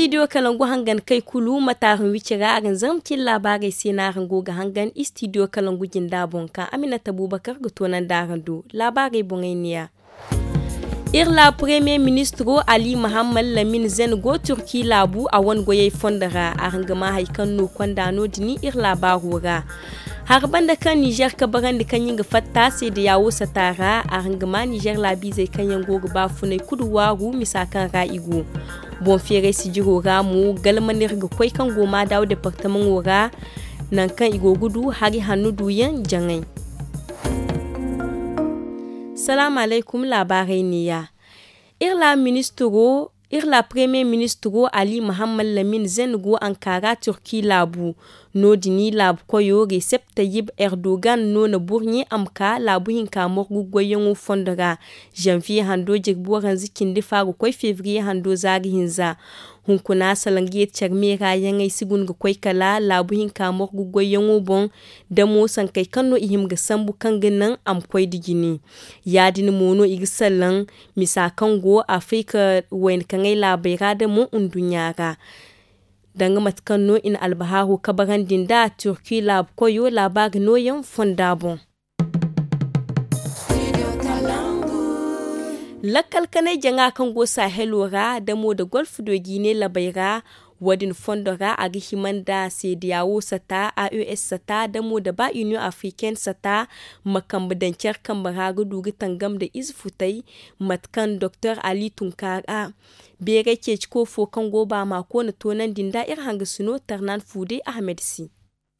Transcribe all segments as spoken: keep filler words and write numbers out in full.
Istidiyo kalangu hangan kay kulu mataaraŋ wici ra araŋ zarma cin laabaarey se no araŋ go ga hangan istidiyo kalangu jinda boŋ ka aminata buubakar ga toonandi araŋ do. Laabaarey boŋey neeya. Iri laabu premiye ministiro ali mahammad lamin zen go turki laabu a wane goyey fondo ra araŋ ga maa hari kaŋ no konda no- din iri laabaaro ra. Hari banda kaŋ nizer kabarandi kaŋ ɲin ga fatta seedayaawo sata ra araŋ ga maa nizer laabiizey kaŋ yaŋ go ga baafunay kulu waaru misa kaŋ ra i go. Boŋ feeray sijiro ra mo galmanir ga koy kaŋ go maadaaw departamaŋo ra. Nangu kaŋ i go ga du hari hanno duyaŋ jaŋay. Salaamu alaykum laabaarey neeya. Iri laabu ministiro iri laabu premiye ministiro ali mahammad lamin zen go ankara turki laabu. No- din laabu koyo resep tayyib erdogan no na burɲe a ma ka laabu hinka morgu goyyaŋo fondo ra. Zanviye hando jirbi waranza cindi fa ga koy fevriye hando zaari hinza. Hunkuna salaŋ ga yeeti care meera yaŋey si guna ga koy kala laabu hinka morgu goyyaŋo boŋ. Da mo sankey kaŋ no i hima ga sambu kaŋ ga naŋ a ma koy da jine. Ya- din mo no i ga salaŋ misa kaŋ go afrika wayna kaŋey laabey ra da mo nduɲɲa ra. Danga mate kaŋ no i na albahaaro kabarandi nd'a turki laabu koyo laabaari nooyaŋ fonda boŋ. Lakkal kanay jaŋa kaŋ go sahelo ra da mo da golf do jiine labey ra. Wo- din fondo ra a ga hima nda seedayaawo sata a e s sata da mo da ba union africaine sata ma kambe daŋ care kambe ra ga du ga tangam nda ize futay. Mate kaŋ doktor ali tunkaara beeray ceeci koofo kaŋ go baama koona toonandi nda iri hangasino tarnan fuuday ahmed se.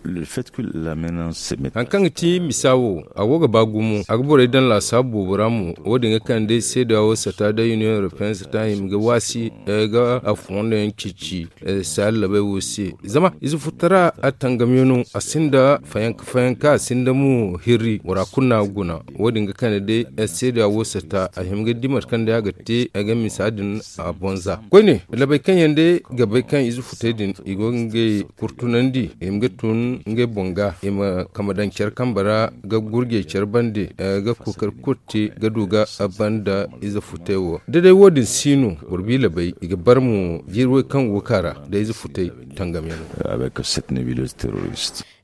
Hari kaŋ ga ti misa wo a go ga ba gumo a ga borey daŋ laasaabu boobo ra mo. Wo- din ga kande seeda wo sata da union europeenne sata hima ga waasi ga a fondo yaŋ ceeci. Saalla bay wo se zama ize futara a tangamyaŋo a sinda fayanka fayanka a sinda mo hirri bora kulu no a ga guna. Wo- din ga kande day seeda wo sata a hima ga di mate kaŋ day a ga te a ga misa din a bonza koyne. Labey kaŋ yaŋ day ga bay kaŋ ize futay din i go ga ngey kurtunandi i ma ga tun ngey boŋ ga i ma kama daŋ care kambe ra ga gurjey care bande ga kookari kulu te ga du ga banda ize futay wo da day wo- din si no boro biila bay i ga bar mo jiiri way kaŋ go ga ka ra da ize futay tangamyaŋo.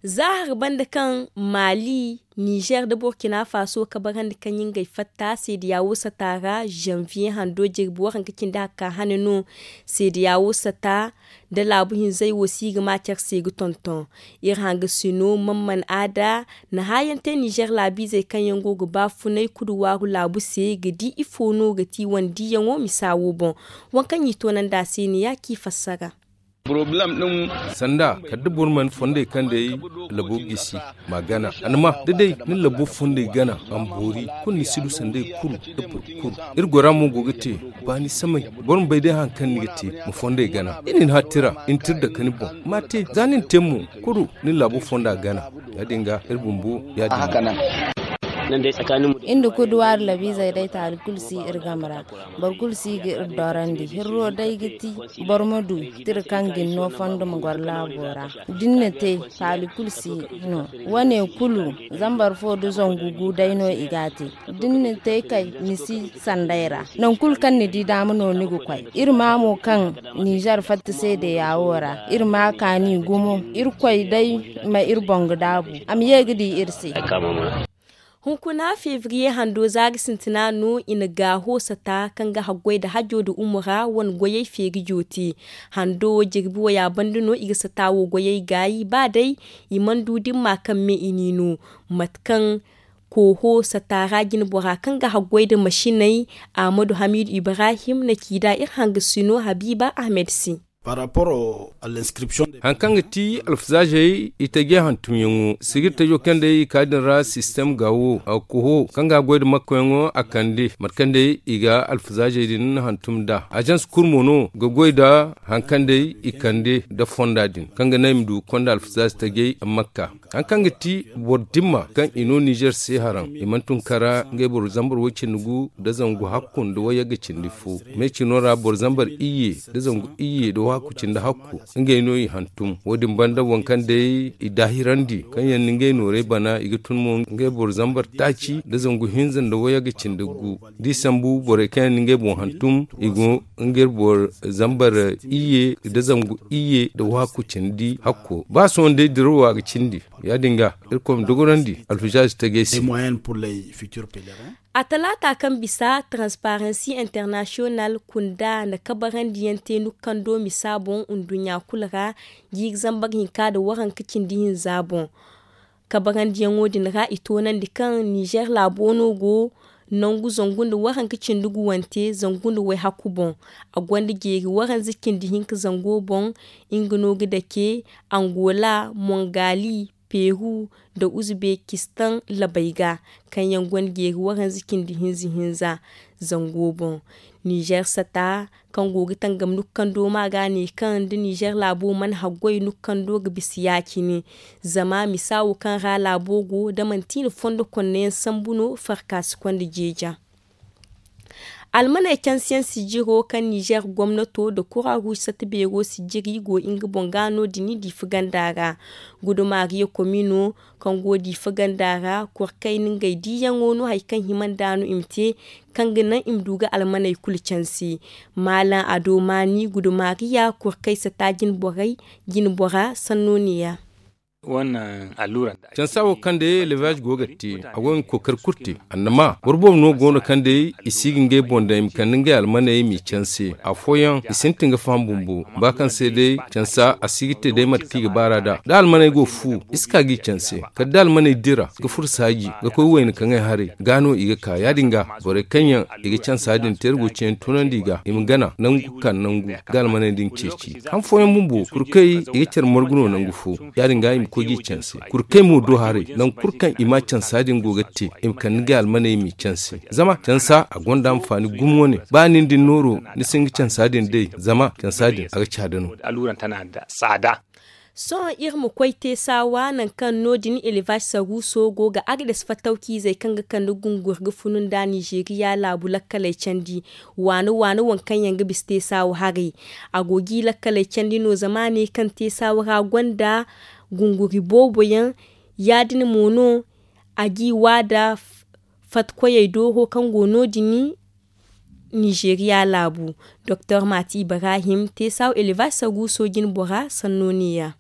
Za hari banda kaŋ maali nizer nda burkina faso kabarandi kaŋ ɲin gay fatta seedayaawo sata ra zanviye hando jirbi waranka cindi hakka hane no. Seedayaawo sata da laabu hinzey wo si ga ma care se ga tonton. Iri hangasino mamman aada na haayaŋ te nizer laabiizey kaŋ yaŋ go ga baafunay kudu waaru laabu se ga di ifo no ga ti wane diiyaŋo misa wo boŋ. Waŋ kaŋ i toonandi a se ne ya kaŋ i fassara. Sanda kala da boro mana fondey kaŋ day labo gisi ma gana a na ma da day ni labo fondey gana a ma boori kulu ni si du sanday kulu da boro kulu. Iri gora mo go ga te baani samay boro ma bay day hari kaŋ ni ga te ma fondey gana i na ni hattira i na tira dake ni boŋ ma te za ni na te mo kulu ni labo fonda gana. Ya- din ga iri bumbo ya- din. Iri nda kuduwaari labiizey day taali kulu si iri game ra. Boro kulu si ga iri dorandi hirro day ga ti boro ma du tira kaŋ ga ni no fondo ma goro laabo ra. Da ni na te taali kulu si no wane kulu zambar fo da zangu gu day no i ga a te. Da ni na te kay ni si sanday ra nangu kulu kaŋ ni di daama no ni ga koy iri ma mo kaŋ nizer fatta seedeya wo ra iri ma kaani gumo. Iri koy day ma iri boŋ ga daabu a ma ye ga di iri se. Hunkuna fevriye hando za ga sintina no i na gaaho sata kaŋ ga haggoy nda hajo nda umura wane goyey feeri jooti. Hando jirbi waya banda no i ga sata wo goyey gaayi ba day i mana du dimma kaŋ me i n'i no. Mate kaŋ kooho sata ra jinbora kaŋ ga haggoy nda masiney ahmadu hamidu ibrahim na ci nd'a iri hangasino habiiba ahmed se. Hari kaŋ ga ti alfazaazey i taje hantumyaŋo sigir tajo kaŋ day i ka din ra sistem ga wo a ga koho kaŋ ga a goy nda makkoyaŋo a kande mate kaŋ day i ga alfazaazey din hantum nd'a ajans kulu mo no ga goy nda hari kaŋ day i kande nda fonda din kaŋ ga naŋ i ma du ga konda alfazaaze tajey makka. Hari kaŋ ga ti boro dimma kaŋ i no nizer se haraŋ i mana tun kara ngey boro zambar way cindi gu nda zangu hakku nda wayagga cindi fo. Me cino ra boro zambar iyye nda zangu iyye nda Waaku cindi hakku ngey no i hantum. Wo- din banda waŋ kaŋ day i daahirandi kaŋ yaŋ na ngey noorey bana i ga tun mo ngey boro zambar taaci nda zangu hinza nda wayagga cindi gu. Da i sambu borey kaŋ yaŋ na ngey boŋ hantum, i go ngey boro zambar iyye nda zangu iyye nda waaku cindi hakko ba sohõ day dirawo a ga cindi. Ya- din ga irkoy ma dogorandi alfijaazi tagay se. A talaata kaŋ bisa transparency international kunda na kabarandiyaŋ te nukkando misa boŋ nduɲɲa kulu ra jiiri zambar hinka nda waranka cindi hinza boŋ. Kabarandiyaŋo din ra i toonandi kaŋ nizer laabo no go nangu zangu nda waranka cindi guwante zangu nda wayhaku boŋ. A gonda jeeri waranza cindi hinka zango boŋ. Nga no ga dake angola, mongali, peru, nda uzbekistan labey ga, kaŋ yaŋ gonda jeeri waranza cindi hinza hinza zango boŋ. Nizer sata kaŋ go ga tangam nukkando ma ga ne kaŋ da nizer laabo mana haggoy nukkando ga bisa ya- cine. Zama misa wo kaŋ ra laabo go da manti i na fondo konneyaŋ sambu no farka si konda jeeja. Almaney cansiyaŋ sijiro kaŋ nizer gomnato nda kura ruuj sata beero sijiri go nga boŋ ga no- din diifa ganda ra. Gudumariya komino kaŋ go diifa ganda ra kurkay na ngey diiyaŋo no hari kaŋ hima nd'a no i ma te, kaŋ ga naŋ i ma du ga almaney kulu canse. Maalaŋ ado maani gudumariya kurkay sata jinbora sanno ne- ya. Cansa wo kaŋ day elevaz go ga te, a go ga kookari kulu te. Annama boro boobo no go no kaŋ day i si ga ngey boŋ daŋ i ma kande ngey almaney i m'i canse. Afooyaŋ i sintin ga faham bumbo ba kaŋ se day cansa a si ga te day mate kaŋ i ga baar'a nd'a da almaney go ga fu, i si ka g'i canse. Kala da almaney dira ga furo saaji ga koy wayna kaŋay haray, ga no i ga ka ya- din ga borey kaŋ yaŋ i ga cansa din te iri go ga ceeyaŋ toonandi i ga i ma gana nangu ga ka nangu ga almaney din ceeci. Han fooyaŋ bumbo kurkey i ga care margu no nangu fo, ya- din ga i ma koy g'i canse. Kurkey mo do haray nangu kulu kaŋ i ma cansa din go ga te, i ma kande ngey almaney i m'i canse. Zama cansa a gonda anfaani gumo wane. Ba nin din nooro ni si hin ga cansa din day, zama cansa din a ga caada no. Sohõ iri ma koy te saawa nangu kaŋ no- din elevaz saruuso go ga agades fattawciizey kaŋ ga kande gunguri ga funu nda nizeriya laabu lakkaley candi. Waani waani waŋ kaŋ yaŋ ga bisa te saawa haray, a go g'i lakkaley candi no zama a ne kaŋ te saawa ra gonda gunguri boobo yaŋ. Ya- din mo no a g'i wa nda fatkoyey dooro kaŋ go no- din. Nizeriya laabu doktor mati ibrahim te saawa elevaz saruuso jinbora sanno ne- ya.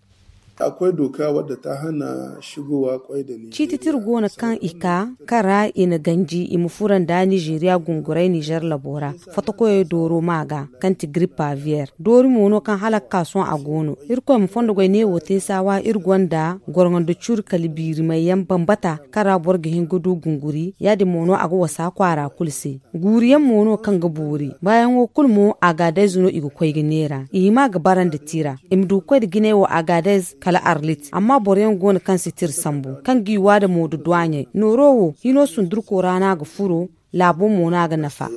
Ciiti tira go no kaŋ i ka kaŋ ra i na ganji i ma furo nda nizeriya gungurey nizer labo ra. Fotokoyey dooro ma ga kaŋ ti grippe aviyaire doori mo no kaŋ hala ga ka sohõ a go no. Irkoy ma fondo goy neewo te saawa iri gonda gorŋo nda curi kala biirimey yaŋ bambata kaŋ ra boro ga hin ga du gunguri ya- din mo no a ga wasa kwaara kulu se. Guuru yaŋ mo no kaŋ ga boori baayaŋo kulu mo agadez no i ga koy ga neera i hima ga bara nda tira i ma du ga koy nda jinay wo agadez kala arlit amma boro yaŋ go no kaŋ si tira sambu kaŋ g'i wa nda moodu duwaaɲey nooro wo hino sundurko ra no a ga furo. Laabo mo no a ga nafa.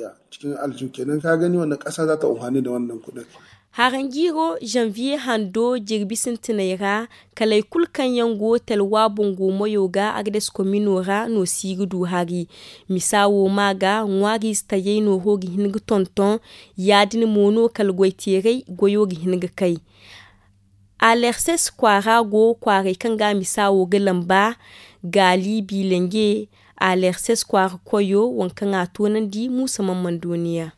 Haranjiiro zanviye hando jirbi sintiney ra, kaley kulu kaŋ yaŋ go talwa boŋ go mayo ga agades komino ra no si ga du hari. Misa wo ma ga ŋwaariize tayey nooro ga hin ga tonton. Ya- din mo no kala goyteeray goyo ga hin ga kay. Alerses kwaara go kwaarey kaŋ ga misa wo ga lamba gaali biilanje. Alerses kwaara koyo waŋ kaŋ a toonandi muusa man man dooniya.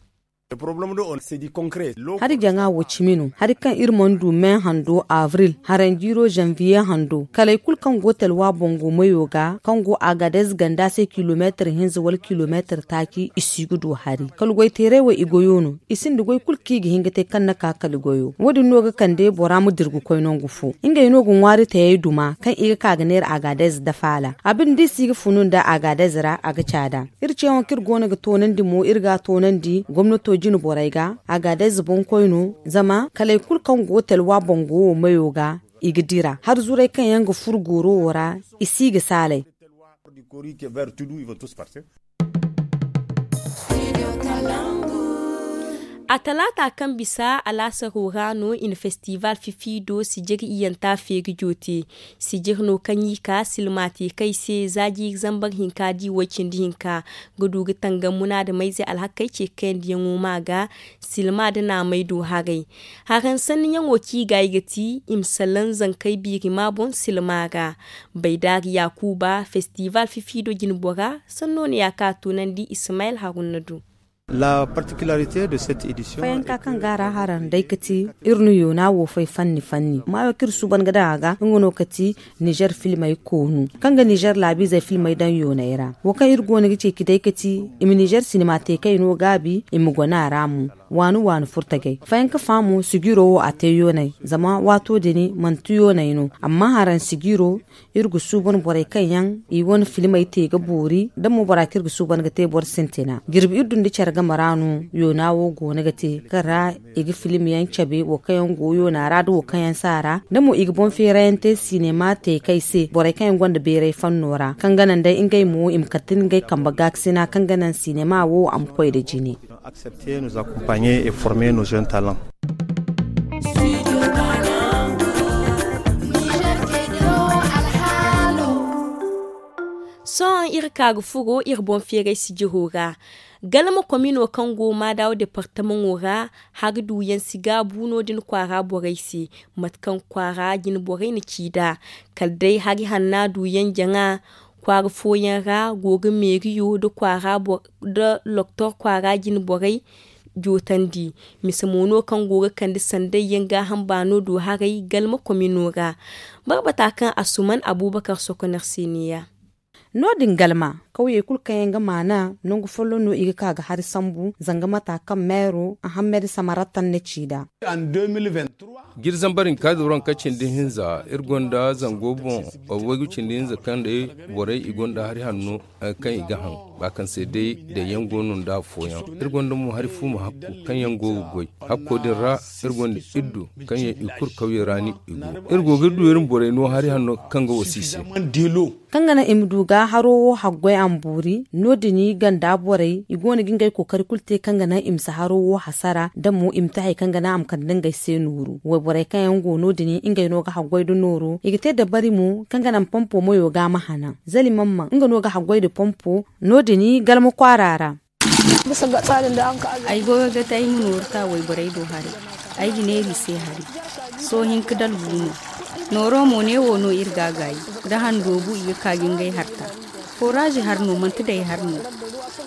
Hari jaŋa wo cimi no hari kaŋ iri mana du me hando avril haranjiiro zanviye hando kaley kulu kaŋ go talwa boŋ go mayo ga kaŋ go agadez ganda se kilomeetir hinza wala kilomeetir taaci i si ga du hari kala goyteeray wo i goyo no. I sinda goy kulu kaŋ i ga hin ga te kaŋ na ka kala goyo wo- din no ga kande bora ma dira ga koy nangu fo. Ngey no ga ŋwaari tayey duma kaŋ i ga ka ga neera agadez dafaala a binde da i si ga funu nda agadez ra a ga caada. Iri ceeyaŋo kaŋ iri go no ga toonandi mo iri ga a toonandi gomnato jine borey ga. Agadez boŋkoy no zama kaley kulu kaŋ go talwa boŋ go wo mayo ga i ga dira har zuray kaŋ yaŋ ga furo gooro wo ra. I si ga saalay. A talaata kaŋ bisa alaasaro ra no i na festival fifiido sijir iyyanta feeri joote. Sijir no kaŋ i ka silma te kay se za jiiri zambar hinka di way cindi hinka ga du ga tangam munaadamayze alhakey ce kayandiyaŋo ma ga silma nda naamey do haray. Haransanniyaŋo kaŋ i ga i ga ti i ma salaŋ zankey biirima boŋ silma ra. Baydaari yaakuuba festival fifiido jinbora sanno no ya ka a tunandi ismayel haruna do. Fayanka kaŋ ga a ra haraŋ day ga ti iri na yoona wo fay fanni fanni maayo kaŋ iri suuban ga daŋ a ga nga no ga ti nizer filmey koonu kaŋ ga nizer laabiizey filmey daŋ yooney ra. Wo kaŋ iri go no ga ceeci day ga ti i ma nizer sinima te kay no gaabi i ma gona a ra mo. Waani waani furtagey fayanka fa mo sijiro wo a te yooney zama waato din manti yooney no. Amma haraŋ sijiro iri ga suuban borey kaŋ yaŋ i wane filmey te ga boori da mo bora kaŋ iri ga suuban ga te boro sintina jirbi iri du nda care game ra no. Yoona wo goono ga te kaŋ ra i ga film yaŋ cabe wo kaŋ yaŋ go yoona ra da wo kaŋ yaŋ si a ra da mo i ga boŋ feerayaŋ te sinema te kay se borey kaŋ yaŋ gonda beeray fanno ra kaŋ ga naŋ day ngey mo i ma kate ngey kambe gaakasina kaŋ ga naŋ sinema wo a ma koy nda jine. Sohõ iri ka ga furo iri boŋ feeray sijiro ra. Galma komino kaŋ go maadawa departamaŋo ra hari duyaŋ si gaabu no- din kwaara borey se. Mate kaŋ kwaara jine borey na ci nd'a kala day hari hanna duyaŋ jaŋa kwaara fooyaŋ ra go ga meeriyo nda kwaara nda loktor kwaara jine borey jootandi. Mise mo no kaŋ go ga kande sanday yaŋ gaaham baano do haray galma komino ra. Barbata kaŋ asuman abubakar sokonar se neeya. No- din galma kawyey kulu kaŋ yaŋ ga maana nangu folloŋ no i ga ka ga hari sambu zanga mata kaŋ meero ahammed samarattan na ci nd'a. Jiri zambar hinka da waranka cindi hinza iri gonda zango boŋ waygu cindi hinza kaŋ day borey i gonda hari hanno kaŋ i ga haŋ ba kaŋ se day daŋ yaŋ go no nda afooyaŋ. Iri gonda mo hari fuuma hakko kaŋ yaŋ go ga goy hakko din ra. Iri gonda iddo kaŋ yaŋ i kulu kawye ra no i go. Iri go ga du iri ma borey no hari hanno kaŋ ga wasi i se. Kaŋ ga naŋ i ma du ga haro wo haggoy a ma boori no- din ganda borey i go no ga ngey kookari kulu te kaŋ ga naŋ i ma si haro wo hasara da mo i ma te hari kaŋ ga naŋ a ma kande ngey se nooru wayborey kaŋ yaŋ go no- din ngey no ga haggoy nda nooro i ga te dabari mo kaŋ ga naŋ pompo mayo ga a ma hanan. Zali mamman nga no ga haggoy nda pompo no- din galma kwaara ra. Ay goyo ga te ay ma nooru ta wayborey do haray. Ay ga neera i se hari. Sohõ hinka dalgu no. Nooro mo neewo no iri ga a gaayi. Da han doobu i ga ka ga ngey harta. Foraazi har no manti day har no.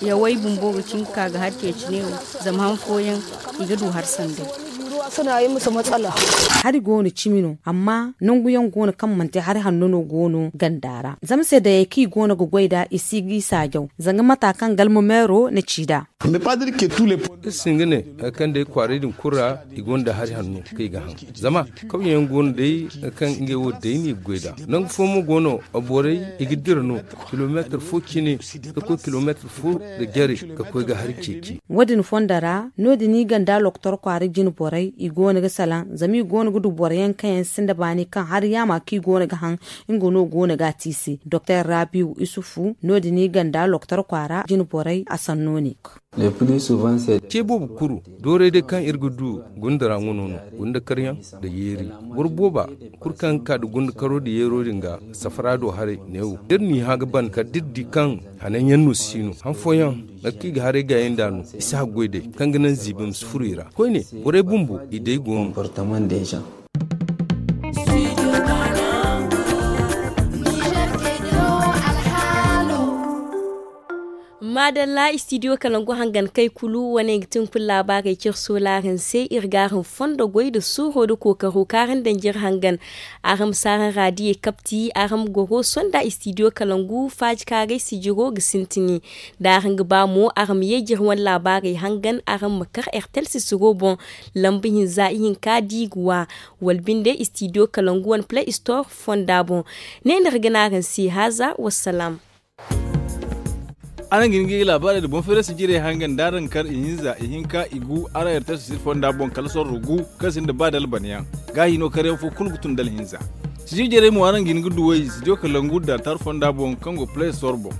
Yawey bumbo ga cin ga ka ga hari ceeci neewo. Zama han fooyaŋ i ga du har sanday. Hari go no cimi no amma nangu yaŋ go no kaŋ manti hari hanno no go no ganda ra zama se dayey kaŋ i go no ga goy nd'a i si ga i saajaw. Zanga mata kaŋ galma meero na ci nd'a. Iri si hin ga ne hari kaŋ day kwaaray din kulu ra i gonda hari hanno kaŋ i ga haŋ. Zama kawyaŋ go no day kaŋ ngey wo day no i ga goy nd'a. Nangu fo mo go no borey i ga dira no kilomeetar fo cine ka koy kilomeetar fo nda jare ka koy ga hari ceeci. Wo- din fondo ra no- din i ganda loktor kwaara jine borey i go no ga salaŋ zama i go no ga du boro yaŋ kaŋ yaŋ sinda baani kaŋ hari yaama kaŋ i go no ga haŋ. Nga no go no ga a te i se doktor rabiu isufu no- din i ganda loktor kwaara jine borey a sanno ne. Ce boobo kuru dooray day kaŋ iri ga du gunda ra nga no no gunda karyaŋ nda yeeri. Boro booba kulu kaŋ ga ka nda gunda karo nda yeero din ga safara do haray neewo da iri n'i hã ga ban kala da iri di kaŋ hananyaŋ no si no han fooyaŋ nangu kaŋ i ga haray gaayey nd'a no i si haggoy day kaŋ ga naŋ ziibi ma si furo i ra koyne. Borey bumbo i day go no. Maadalla istidiyo kalangu hangan kay kulu wane ga tin kulu laabaarey cire soolaaraŋ se iri ga araŋ fondo goy nda suuro nda kookaro kaŋ araŋ daŋ jire hangan. Araŋ ma si araŋ raadiyey kapti araŋ ma goro sonda istidiyo kalangu faajikaaray sijiro ga sintini. Da araŋ ga ba mo araŋ ma ye jire wane laabaarey hangan araŋ ma kar ertel sisiro boŋ. Lamba hinza ihinka da i ga wa wala binde istidiyo kalangu wane play store fonda boŋ. Ne no iri ga ne araŋ se haaza wassalaam. Araŋ ga hin ga i laabaarey nda boŋ feerasi jirey hangan da araŋ kar ihinza ihinka igu araŋ ertel sisiro fonda boŋ kala sorro gu kaŋ sinda ba dalbanayaŋ. Gaahi no karyaŋ fo kulu ga tun da alhinza. Sijir jarey mo araŋ ga hin ga duw'ey studio kalangu da tar fonda boŋ kaŋ go play store boŋ.